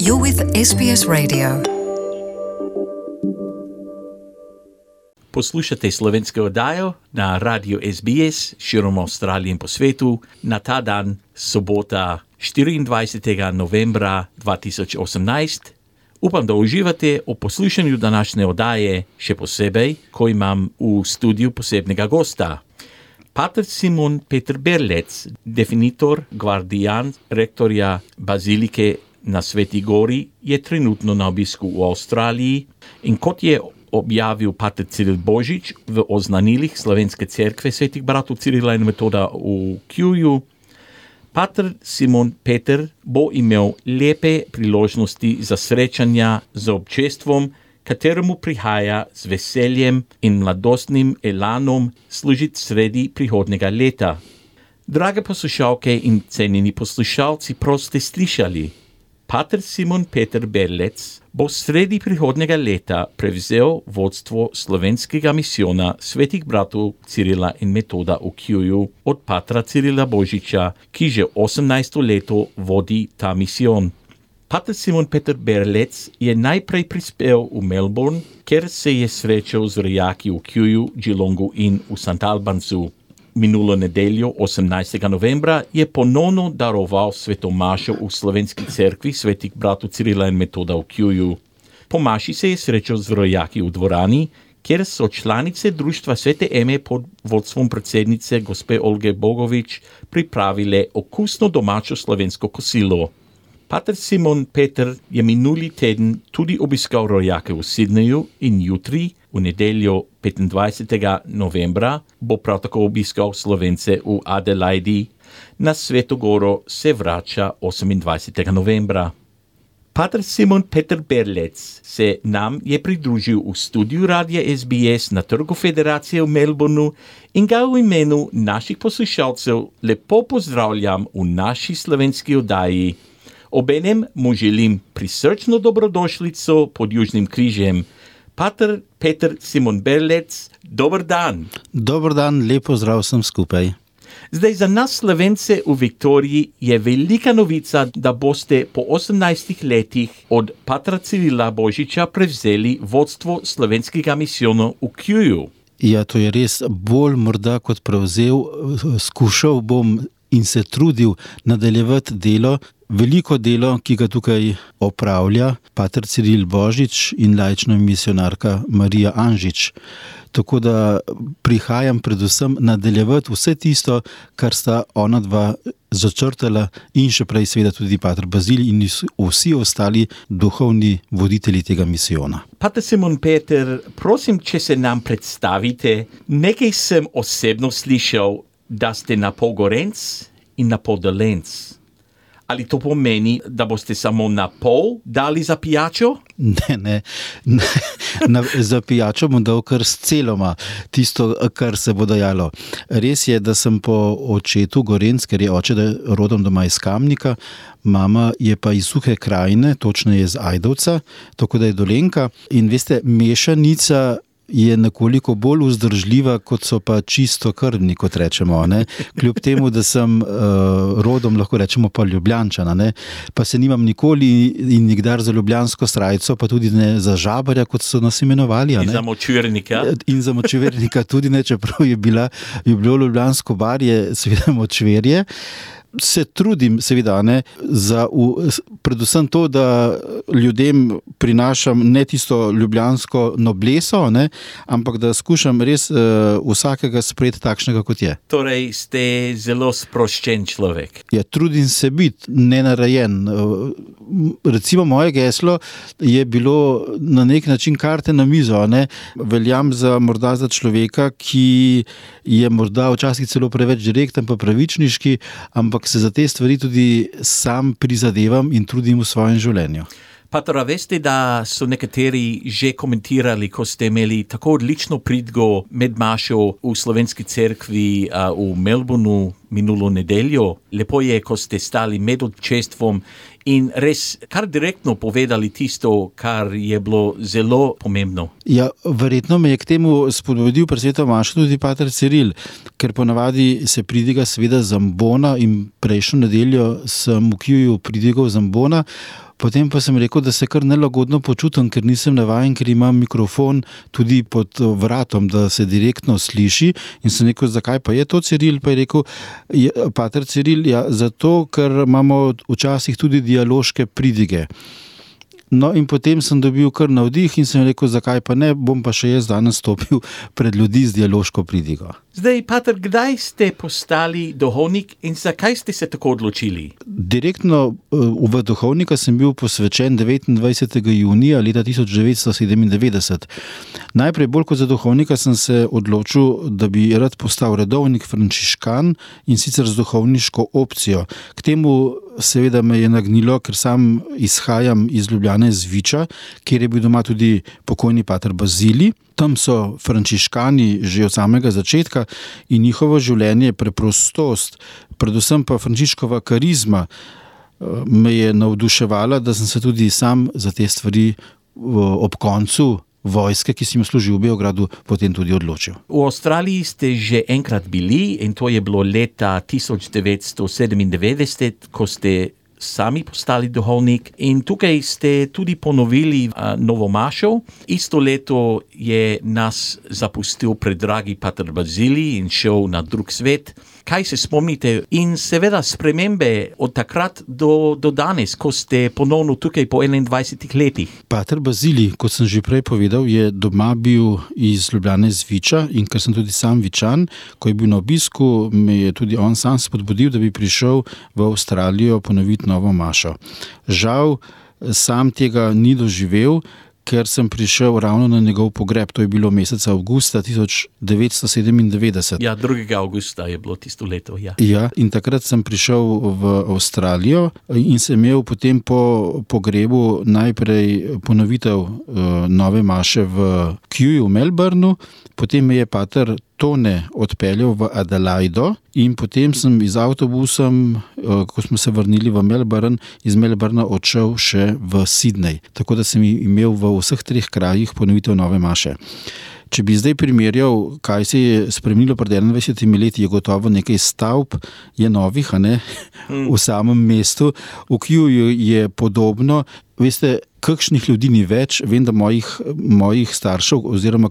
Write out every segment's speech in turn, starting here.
You're with SBS Radio. Poslušate slovensko oddajo na Radio SBS širom Avstralije in po svetu na ta dan, sobota 24. novembra 2018. Upam, da uživate v poslušanju današnje oddaje, še posebej, ko imam v studiu posebnega gosta. Pater Simon Peter Berlec, definitor, guardian, rektorja Bazilike na Sveti Gori, je trenutno na obisku v Avstraliji in kot je objavil pater Ciril Božič v oznanilih Slovenske cerkve svetih bratov Cirila in Metoda v Kjuju, pater Simon Peter bo imel lepe priložnosti za srečanja z občestvom, kateremu prihaja z veseljem in mladostnim elanom služiti sredi prihodnega leta. Drage poslušalke in cenjeni poslušalci, prav ste slišali. Pater Simon Peter Berlec bo sredi prihodnega leta prevzel vodstvo slovenskega misijona svetih bratov Cirila in Metoda v Kjuju od patra Cirila Božiča, ki že 18. leto vodi ta misijon. Pater Simon Peter Berlec je najprej prispel v Melbourne, kjer se je srečal z rojaki v Kjuju, Geelongu in v St. Albansu. Minulo nedeljo, 18. novembra, je ponovno daroval sveto mašo v Slovenski cerkvi svetih bratov Cirila in Metoda v Kjuju. Po maši se je srečal z rojaki v dvorani, kjer so članice društva Svete Eme pod vodstvom predsednice gospe Olge Bogovič pripravile okusno domačo slovensko kosilo. Pater Simon Peter je minuli teden tudi obiskal rojake v Sydneyju in jutri, v nedeljo 25. novembra, bo prav tako obiskal Slovence v Adelaidi. Na Sveto Goro se vrača 28. novembra. Pater Simon Peter Berlec se nam je pridružil v studiu Radia SBS na Trgu Federacije v Melbourneu in ga v imenu naših poslušalcev lepo pozdravljam v naši slovenski oddaji. Obenem mu želim prisrčno dobrodošlico pod Južnim križem. Pater Peter Simon Berlec, dober dan. Dober dan, lepo zdrav vsem skupaj. Zdaj za nas Slovence v Viktoriji je velika novica, da boste po 18 letih od patra Cirila Božiča prevzeli vodstvo slovenskega misijona v Kjuju. Ja, to je res bolj morda kot prevzel, skušal bom in se trudil nadaljevati delo, veliko delo, ki ga tukaj opravlja pater Ciril Božič in laična misionarka Marija Anžič. Tako da prihajam predvsem nadaljevati vse tisto, kar sta ona dva začrtala in še prej seveda tudi pater Bazil in vsi ostali duhovni voditelji tega misijona. Pater Simon Peter, prosim, če se nam predstavite. Nekaj sem osebno slišal, da ste na pol Gorenc in na pol Dolenc. Ali to pomeni, da boste samo na pol dali za pijačo? Ne. Za pijačo bom dal kar s celoma, tisto, kar se bo dajalo. Res je, da sem po očetu Gorenc, ker je oče rodom doma iz Kamnika, mama je pa iz Suhe krajine, točneje iz Ajdovca, tako da je Dolenka. In veste, mešanica je nekoliko bolj vzdržljiva, kot so pa čisto krvni, kot rečemo. Ne? Kljub temu, da sem rodom, lahko rečemo pa Ljubljančan, ne? Pa se nimam nikoli in nikdar za ljubljansko srajco, pa tudi ne za žabarja, kot so nas imenovali. In za močvirnika. In za močvirnika tudi ne, čeprav je bilo ljubljansko barje, seveda močvirje. Se trudim, seveda, predvsem to, da ljudem prinašam ne tisto ljubljansko nobleso, ampak da skušam res vsakega sprejeti takšnega, kot je. Torej ste zelo sproščen človek. Ja, trudim se biti nenarajen. Recimo moje geslo je bilo na nek način karte na mizo. Veljam morda za človeka, ki je morda včasih celo preveč direkten pa pravičniški, ampak se za te stvari tudi sam prizadevam in trudim v svojem življenju. Pater, veste, da so nekateri že komentirali, ko ste imeli tako odlično pridgo med mašo v Slovenski cerkvi v Melbourneu minulo nedeljo. Lepo je, ko ste stali med občestvom in res kar direktno povedali tisto, kar je bilo zelo pomembno. Ja, verjetno me je k temu spodbudil pri sveto mašo tudi pater Ciril, ker ponavadi se pridiga seveda zambona in prejšnjo nedeljo sem v Kjuju pridigal zambona. Potem pa sem rekel, da se kar nelagodno počutim, ker nisem navajen, ker imam mikrofon tudi pod vratom, da se direktno sliši. In sem rekel, zakaj pa je to, Ciril? Pa je rekel, pater Ciril, ja, zato, ker imamo včasih tudi dialoške pridige. No, in potem sem dobil kar navdih in sem rekel, zakaj pa ne, bom pa še jaz danes stopil pred ljudi z dialoško pridigo. Zdaj, pater, kdaj ste postali duhovnik in zakaj ste se tako odločili? Direktno v duhovnika sem bil posvečen 29. junija leta 1997. Najprej bolj kot za duhovnika sem se odločil, da bi rad postal redovnik frančiškan in sicer z duhovniško opcijo. K temu seveda me je nagnilo, ker sam izhajam iz Ljubljane z Viča, kjer je bil doma tudi pokojni pater Bazilij. Tam so frančiškani že od samega začetka in njihovo življenje, preprostost, predvsem pa Frančiškova karizma me je navduševala, da sem se tudi sam za te stvari ob koncu vojske, ki sem jo služil v Beogradu, potem tudi odločil. V Avstraliji ste že enkrat bili in to je bilo leta 1997, ko ste sami postali duhovnik in tukaj ste tudi ponovili novo mašo. Isto leto je nas zapustil predragi pater Bazilij in šel na drug svet. Kaj se spomnite? In seveda spremembe od takrat do danes, ko ste ponovno tukaj po 21 letih. Pater Bazilij, kot sem že prej povedal, je doma bil iz Ljubljane z Viča in ker sem tudi sam Vičan, ko je bil na obisku, me je tudi on sam spodbudil, da bi prišel v Avstralijo ponoviti novo mašo. Žal, sam tega ni doživel, ker sem prišel ravno na njegov pogreb, to je bilo meseca avgusta 1997. Ja, 2. avgusta je bilo tisto leto, ja. Ja, in takrat sem prišel v Avstralijo in sem imel potem po pogrebu najprej ponovitev nove maše v Kew v Melbourneu, potem me je pater Tone odpeljal v Adelaido in potem sem z avtobusom, ko smo se vrnili v Melbourne, iz Melbourna odšel še v Sydney. Tako da sem imel v vseh 3 krajih ponovitev nove maše. Če bi zdaj primerjal, kaj se je spremenilo pred 21 leti, je gotovo nekaj stavb, je novih, a ne, v samem mestu. V Kewju je podobno. Veste, kakšnih ljudi ni več, vem, da mojih staršev oziroma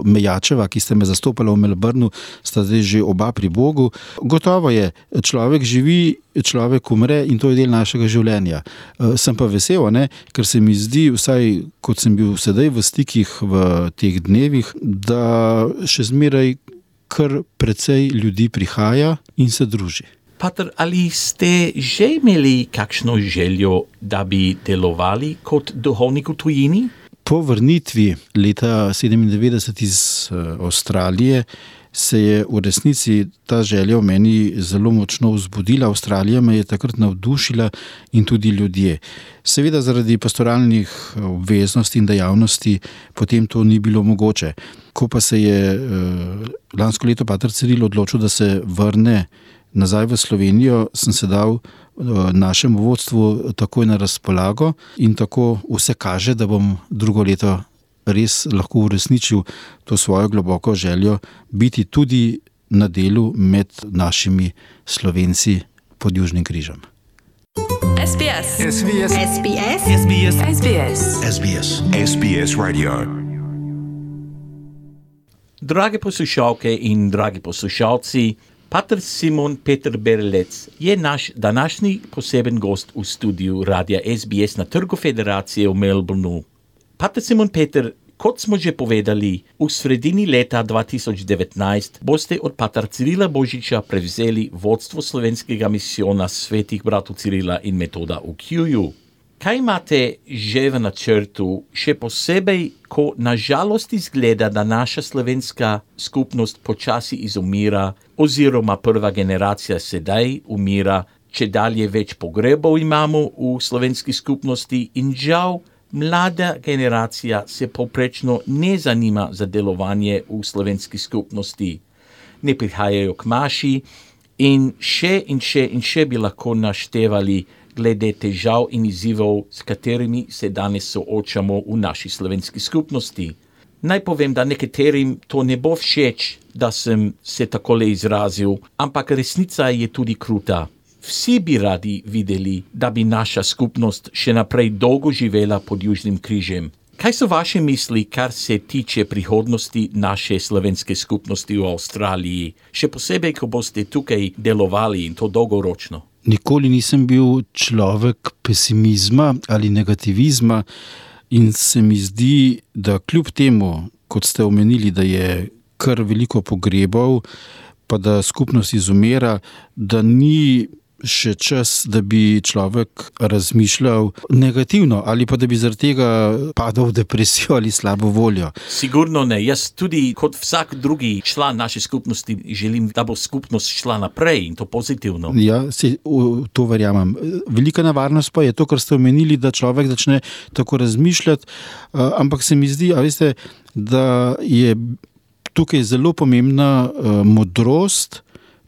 Mejačeva, ki sta me zastopala v Melbourneu, sta zdaj že oba pri Bogu. Gotovo je, človek živi, človek umre in to je del našega življenja. Sem pa vesel, ne, ker se mi zdi, vsaj kot sem bil sedaj v stikih v teh dnevih, da še zmeraj kar precej ljudi prihaja in se druži. Pater, ali ste že imeli kakšno željo, da bi delovali kot duhovnik v tujini? Po vrnitvi leta 1997 iz Avstralije se je v resnici ta želja v meni zelo močno vzbudila. Avstralija me je takrat navdušila in tudi ljudje. Seveda zaradi pastoralnih obveznosti in dejavnosti potem to ni bilo mogoče. Ko pa se je lansko leto pater Ciril odločil, da se vrne nazaj v Slovenijo, sem se dal našemu vodstvu takoj na razpolago in tako vse kaže, da bom drugo leto res lahko uresničil to svojo globoko željo biti tudi na delu med našimi Slovenci pod Južnim križem. SBS. SBS. SBS. SBS. SBS. SBS. SBS Radio. Drage poslušalke in dragi poslušalci, pater Simon Peter Berlec je naš današnji poseben gost v studiu Radia SBS na Trgu Federacije v Melbourneu. Pater Simon Peter, kot smo že povedali, v sredini leta 2019 boste od pater Cirila Božiča prevzeli vodstvo slovenskega misijona svetih bratov Cirila in Metoda v Kewju. Kaj imate že v načrtu, še posebej, ko nažalost izgleda, da naša slovenska skupnost počasi izumira, oziroma prva generacija sedaj umira, če dalje več pogrebov imamo v slovenski skupnosti in žal mlada generacija se povprečno ne zanima za delovanje v slovenski skupnosti. Ne prihajajo k maši in še bi lahko naštevali glede težav in izzivov, s katerimi se danes soočamo v naši slovenski skupnosti. Naj povem, da nekaterim to ne bo všeč, da sem se takole izrazil, ampak resnica je tudi kruta. Vsi bi radi videli, da bi naša skupnost še naprej dolgo živela pod Južnim križem. Kaj so vaše misli, kar se tiče prihodnosti naše slovenske skupnosti v Avstraliji, še posebej, ko boste tukaj delovali in to dolgoročno? Nikoli nisem bil človek pesimizma ali negativizma in se mi zdi, da kljub temu, kot ste omenili, da je kar veliko pogrebov, pa da skupnost izumira, da ni še čas, da bi človek razmišljal negativno ali pa da bi zaradi tega padal v depresijo ali slabo voljo. Sigurno ne. Jaz tudi kot vsak drugi član naše skupnosti želim, da bo skupnost šla naprej in to pozitivno. Ja, to verjamem. Velika nevarnost pa je to, kar ste omenili, da človek začne tako razmišljati, ampak se mi zdi, veste, da je tukaj zelo pomembna modrost,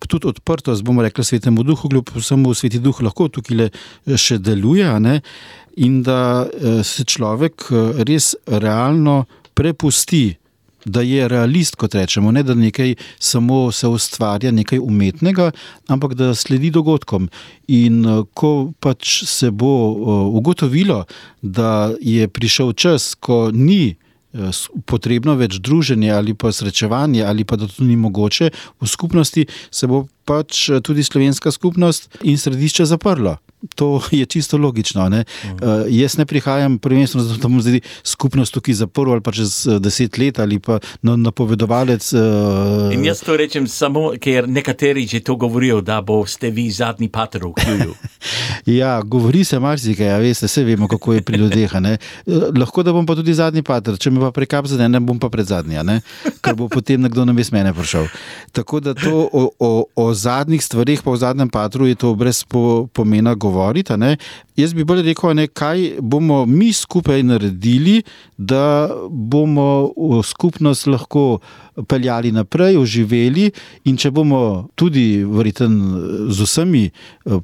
tudi odprtost, bomo rekli, Svetemu Duhu, kljub vsemu Sveti Duh lahko tukaj še deluje, ne? In da se človek res realno prepusti, da je realist, kot rečemo, ne da nekaj samo se ustvarja, nekaj umetnega, ampak da sledi dogodkom. In ko pač se bo ugotovilo, da je prišel čas, ko ni potrebno več druženje ali pa srečevanje ali pa da to ni mogoče, v skupnosti se bo pač tudi slovenska skupnost in središče zaprlo. To je čisto logično. Ne? Jaz ne prihajam prvenstveno zato, da bom zdaj skupnost tukaj zaprl ali pa čez 10 let ali pa napovedovalec. In jaz to rečem samo, ker nekateri že to govorijo, da boste vi zadnji pater v Kjuju. Ja, govori se marsikaj, veste, vse vemo, kako je pri ljudeh. Lahko da bom pa tudi zadnji pater, če me pa prekap zadene, bom pa pred zadnji, ker bo potem nekdo namesto mene prišel. Tako da to o zadnjih stvareh pa o zadnjem patru je to brez pomena govoriti. Jaz bi bolj rekel, kaj bomo mi skupaj naredili, da bomo skupnost lahko peljali naprej, oživeli, in če bomo tudi verjetno z vsemi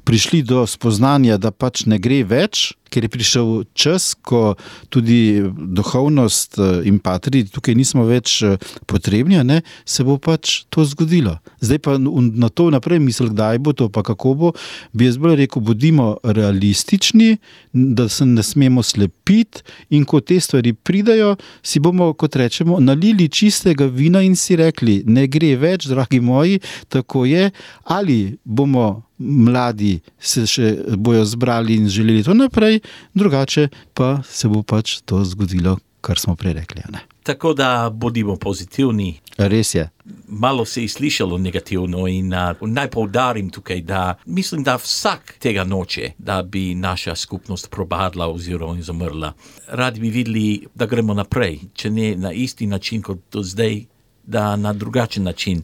prišli do spoznanja, da pač ne gre več, ker je prišel čas, ko tudi duhovnost in patri tukaj nismo več potrebni, se bo pač to zgodilo. Zdaj pa na to naprej misli, kdaj bo to, pa kako bo, bi jaz bolj rekel, bodimo realistični, da se ne smemo slepiti, in ko te stvari pridajo, si bomo, kot rečemo, nalili čistega vina in si rekli, ne gre več, dragi moji, tako je, ali bomo mladi se še bojo zbrali in želeli to naprej, drugače pa se bo pač to zgodilo, kar smo prej rekli. Tako da bodimo pozitivni. Res je. Malo se je slišalo negativno in naj poudarim tukaj, da mislim, da vsak tega noče, da bi naša skupnost propadla oziroma izumrla. Radi bi videli, da gremo naprej, če ne na isti način kot do zdaj, da na drugačen način.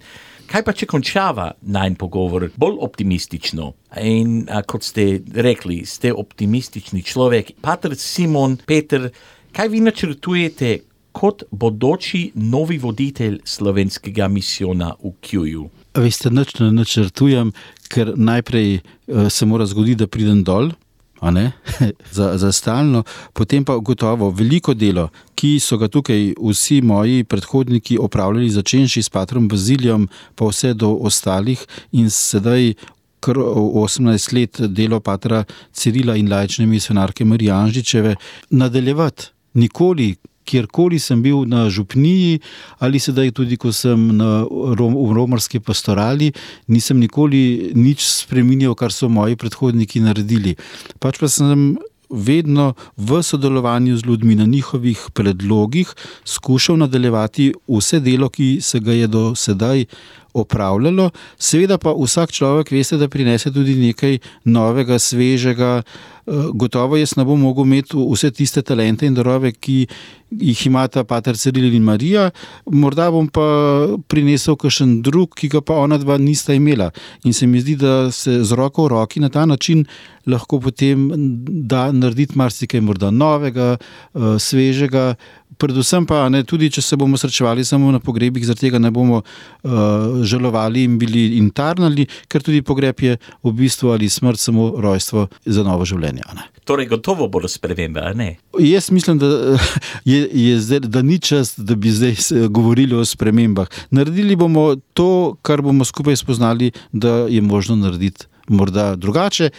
Kaj pa, če končava najn pogovor bolj optimistično? In kot ste rekli, ste optimistični človek. Pater Simon Peter, kaj vi načrtujete kot bodoči novi voditelj slovenskega misijona v Kjuju? Veste, nič ne načrtujem, ker najprej se mora zgoditi, da pridem dol, za stalno, potem pa gotovo veliko delo, ki so ga tukaj vsi moji predhodniki opravljali, začenši s patrom Bazilijem, pa vse do ostalih, in sedaj kar 18 let delo patra Cirila in laične misionarke Marije Anžičeve nadaljevati. Nikoli, kjerkoli sem bil na župniji ali sedaj tudi, ko sem v romarski pastorali, nisem nikoli nič spreminjal, kar so moji predhodniki naredili. Pač pa sem vedno v sodelovanju z ljudmi na njihovih predlogih skušal nadaljevati vse delo, ki se ga je do sedaj opravljalo. Seveda pa vsak človek, veste, da prinese tudi nekaj novega, svežega. Gotovo jaz ne bom mogel imeti vse tiste talente in darove, ki jih imata pater Ciril in Marija, morda bom pa prinesel kakšen drug, ki ga pa ona dva nista imela. In se mi zdi, da se z roko v roki na ta način lahko potem da narediti marsikaj morda novega, svežega, predvsem pa tudi, če se bomo srečevali samo na pogrebih, zaradi tega ne bomo žalovali in bili in tarnali, ker tudi pogreb je v bistvu ali smrt samo rojstvo za novo življenje. Torej gotovo bodo spremembe, a ne? Jaz mislim, da ni čas, da bi zdaj govorili o spremembah. Naredili bomo to, kar bomo skupaj spoznali, da je možno narediti morda drugače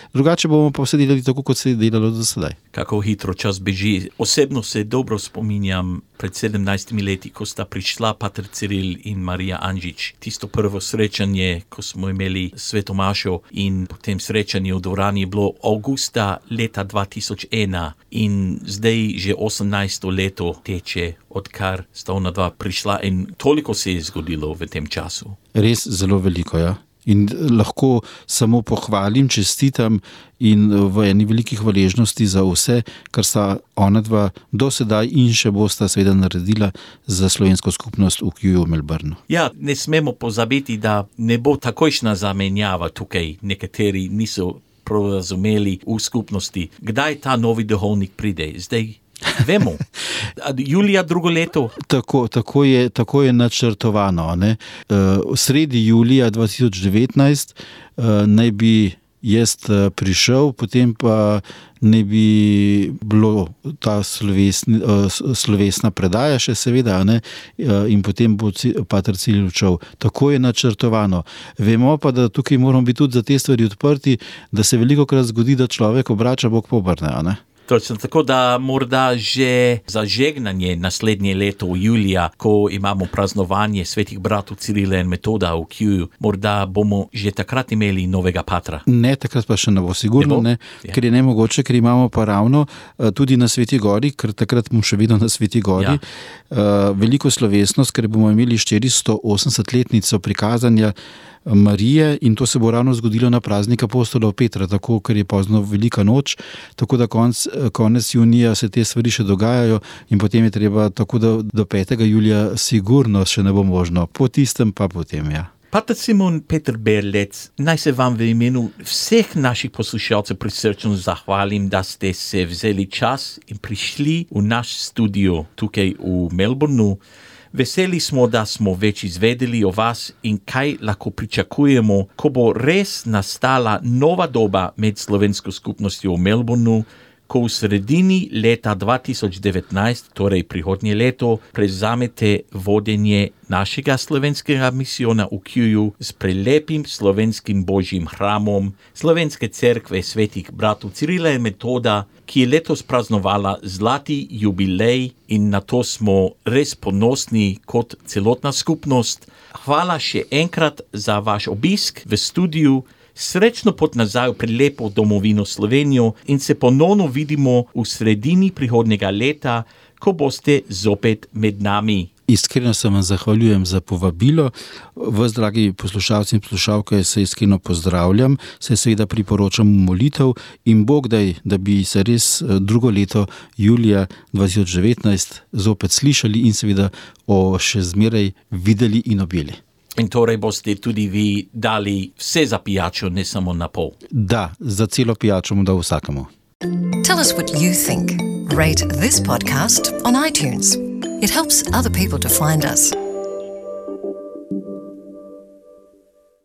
bomo pa vse delali tako, kot se je delalo do sedaj. Kako hitro čas beži. Osebno se dobro spominjam pred 17 leti, ko sta prišla pater Ciril in Marija Anžič. Tisto prvo srečanje, ko smo imeli sveto mašo in po tem srečanju v dvorani je bilo avgusta leta 2001 in zdaj že 18. leto teče, odkar sta ona dva prišla in toliko se je zgodilo v tem času. Res zelo veliko, ja. In lahko samo pohvalim, čestitam in v eni veliki hvaležnosti za vse, kar sta ona dva do sedaj in še bosta seveda naredila za slovensko skupnost v QU v Melbourneu. Ja, ne smemo pozabiti, da ne bo takojšnja zamenjava tukaj. Nekateri niso prav razumeli v skupnosti. Kdaj ta novi duhovnik pride? Zdaj vemo. Julija drugo leto. Tako je načrtovano. Ne? Sredi julija 2019 naj bi jaz prišel, potem pa ne bi bilo ta slovesna predaja še seveda, ne? In potem bo pater Ciril odšel. Tako je načrtovano. Vemo pa, da tukaj moramo biti tudi za te stvari odprti, da se velikokrat zgodi, da človek obrača Bog pobrne, ne? Točno, tako da morda že za žegnanje naslednje leto julija, ko imamo praznovanje svetih bratov Cirila in Metoda v QU, morda bomo že takrat imeli novega patra. Ne, takrat pa še ne bo sigurno, ne, ker je nemogoče, ker imamo pa ravno tudi na Sveti Gori, ker takrat bomo še vedno na Sveti Gori, veliko slovesnost, ker bomo imeli 480-letnico prikazanja Marije in to se bo ravno zgodilo na praznik apostolov Petra, tako ker je pozno velika noč, tako da konec junija se te stvari še dogajajo in potem je treba, tako da do 5. julija sigurno še ne bo možno, po tistem pa potem, ja. Pater Simon Peter Berlec, naj se vam v imenu vseh naših poslušalcev prisrčno zahvalim, da ste se vzeli čas in prišli v naš studio tukaj v Melbourneu. Veseli smo, da smo več izvedeli o vas in kaj lahko pričakujemo, ko bo res nastala nova doba med slovensko skupnostjo v Melbourneu, ko v sredini leta 2019, torej prihodnje leto, prevzamete vodenje našega slovenskega misijona v QU s prelepim slovenskim božjim hramom Slovenske cerkve svetih bratov Cirila in Metoda, ki je letos praznovala zlati jubilej in na to smo res ponosni kot celotna skupnost. Hvala še enkrat za vaš obisk v studiu. Srečno pot nazaj v prelepo domovino Slovenijo in se ponovno vidimo v sredini prihodnjega leta, ko boste zopet med nami. Iskreno se vam zahvaljujem za povabilo. Vas, dragi poslušalci in poslušalke, se iskreno pozdravljam, se seveda priporočam molitev in Bog daj, da bi se res drugo leto julija 2019 zopet slišali in seveda še zmeraj videli in objeli. In torej boste tudi vi dali vse za pijačo, ne samo na pol. Da, za celo pijačo mu dal vsakemu. Tell us what you think. Rate this podcast on iTunes. It helps other people to find us.